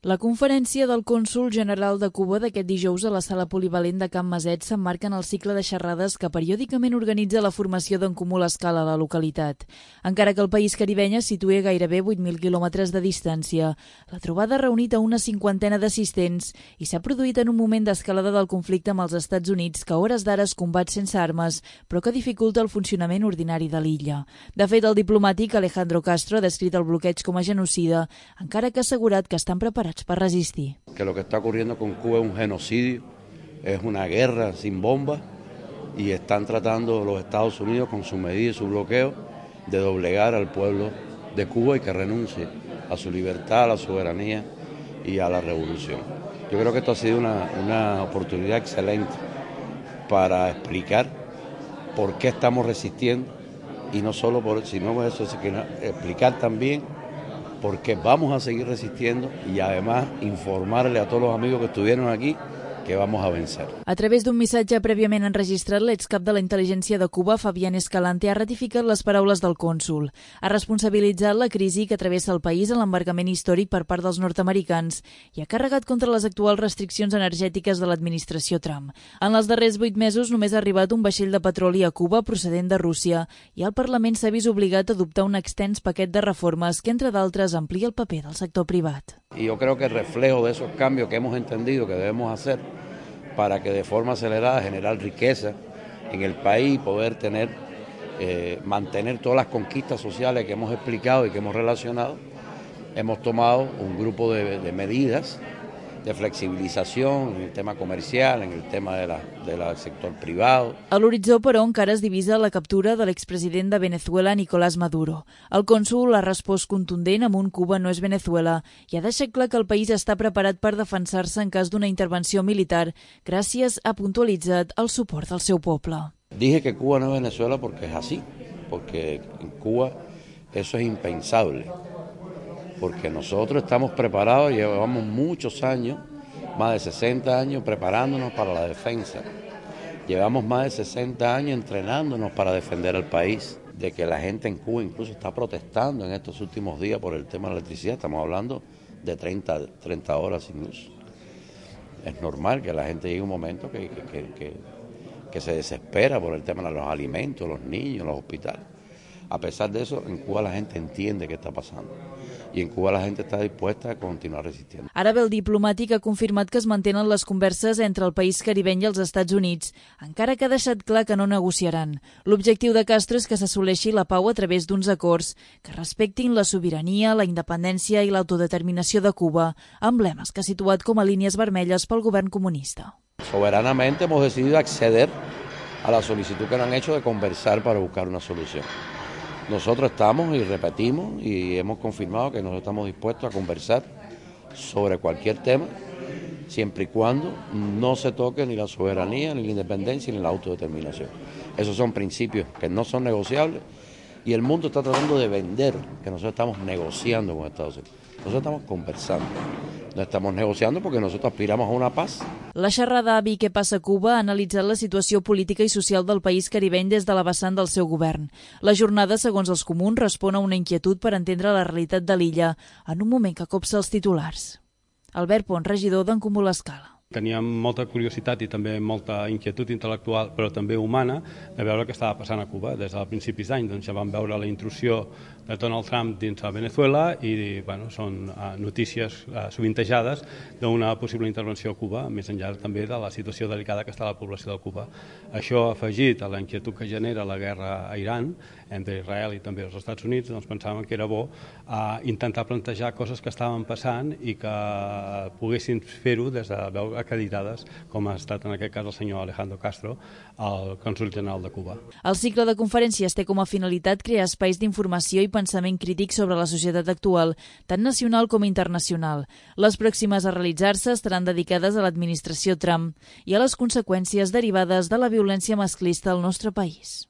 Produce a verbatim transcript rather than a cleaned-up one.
La conferència del cònsol general de Cuba d'aquest dijous a la sala polivalent de Can Maset s'emmarca en el cicle de xerrades que periòdicament organitza la formació d'En Comú l'Escala a la localitat. Encara que el país caribeny es situa a gairebé vuit mil quilòmetres de distància, la trobada ha reunit a una cinquantena d'assistents i s'ha produït en un moment d'escalada del conflicte amb els Estats Units que a hores d'ara es combat sense armes, però que dificulta el funcionament ordinari de l'illa. De fet, el diplomàtic Alejandro Castro ha descrit el bloqueig com a genocida, encara que ha assegurat que estan preparats para resistir. Que lo que está ocurriendo con Cuba es un genocidio, es una guerra sin bombas y están tratando los Estados Unidos con su medida y su bloqueo de doblegar al pueblo de Cuba y que renuncie a su libertad, a la soberanía y a la revolución. Yo creo que esto ha sido una, una oportunidad excelente para explicar por qué estamos resistiendo y no solo por sino eso, sino explicar también porque vamos a seguir resistiendo y además informarle a todos los amigos que estuvieron aquí que vamos a vencer. A través d'un missatge prèviament enregistrat, l'excap de la intel·ligència de Cuba, Fabián Escalante, ha ratificat les paraules del cònsol. Ha responsabilitzat la crisi que travessa el país en l'embarcament històric per part dels nord-americans i ha carregat contra les actuals restriccions energètiques de l'administració Trump. En els darrers vuit mesos només ha arribat un vaixell de petroli a Cuba procedent de Rússia i el Parlament s'ha vist obligat a adoptar un extens paquet de reformes que, entre d'altres, amplia el paper del sector privat. Y yo creo que el reflejo de esos cambios que hemos entendido que debemos hacer para que de forma acelerada generar riqueza en el país y poder tener, eh, mantener todas las conquistas sociales que hemos explicado y que hemos relacionado, hemos tomado un grupo de, de medidas de flexibilització en el tema comercial, en el tema de la, de la sector privado. A l'horitzó, però, encara es divisa la captura de l'expresident de Venezuela, Nicolás Maduro. El cònsol ha respost contundent amb un Cuba no és Venezuela i ha deixat clar que el país està preparat per defensar-se en cas d'una intervenció militar, gràcies a puntualitzat el suport del seu poble. Dije que Cuba no es Venezuela porque es así, porque en Cuba eso es impensable. Porque nosotros estamos preparados, llevamos muchos años, más de sesenta años preparándonos para la defensa. Llevamos más de sesenta años entrenándonos para defender al país. De que la gente en Cuba incluso está protestando en estos últimos días por el tema de la electricidad, estamos hablando de treinta, treinta horas sin luz. Es normal que la gente llegue a un momento que, que, que, que se desespera por el tema de los alimentos, los niños, los hospitales. A pesar de eso, en Cuba la gente entiende qué está pasando i en Cuba la gent està dispuesta a continuar resistiendo. Ara bé, el diplomàtic ha confirmat que es mantenen les converses entre el país caribeny i els Estats Units, encara que ha deixat clar que no negociaran. L'objectiu de Castro és que s'assoleixi la pau a través d'uns acords que respectin la sobirania, la independència i l'autodeterminació de Cuba, emblemes que ha situat com a línies vermelles pel govern comunista. Soberanamente hemos decidido acceder a la solicitud que nos han hecho de conversar para buscar una solución. Nosotros estamos y repetimos y hemos confirmado que nosotros estamos dispuestos a conversar sobre cualquier tema, siempre y cuando no se toque ni la soberanía, ni la independencia, ni la autodeterminación. Esos son principios que no son negociables y el mundo está tratando de vender que nosotros estamos negociando con Estados Unidos. Nosotros estamos conversando, no estamos negociando porque nosotros aspiramos a una paz. La xerrada Avi què passa a Cuba ha analitzat la situació política i social del país caribeny des de la vessant del seu govern. La jornada, segons els comuns, respon a una inquietud per entendre la realitat de l'illa en un moment que copsa els titulars. Albert Pont, regidor d'En Comú l'Escala. Teníem molta curiositat i també molta inquietud intel·lectual, però també humana, de veure què estava passant a Cuba. Des de principis d'any doncs, ja vam veure la intrusió de Donald Trump dins de Venezuela i bueno, són uh, notícies uh, sovintejades d'una possible intervenció a Cuba, més enllà també de la situació delicada que està la població de Cuba. Això afegit a la inquietud que genera la guerra a Iran, entre Israel i també els Estats Units, doncs pensàvem que era bo uh, intentar plantejar coses que estaven passant i que poguessin fer-ho des de veure acreditades, com ha estat en aquest cas el senyor Alejandro Castro, el cònsol general de Cuba. El cicle de conferències té com a finalitat crear espais d'informació i pensament crític sobre la societat actual, tant nacional com internacional. Les pròximes a realitzar-se estaran dedicades a l'administració Trump i a les conseqüències derivades de la violència masclista al nostre país.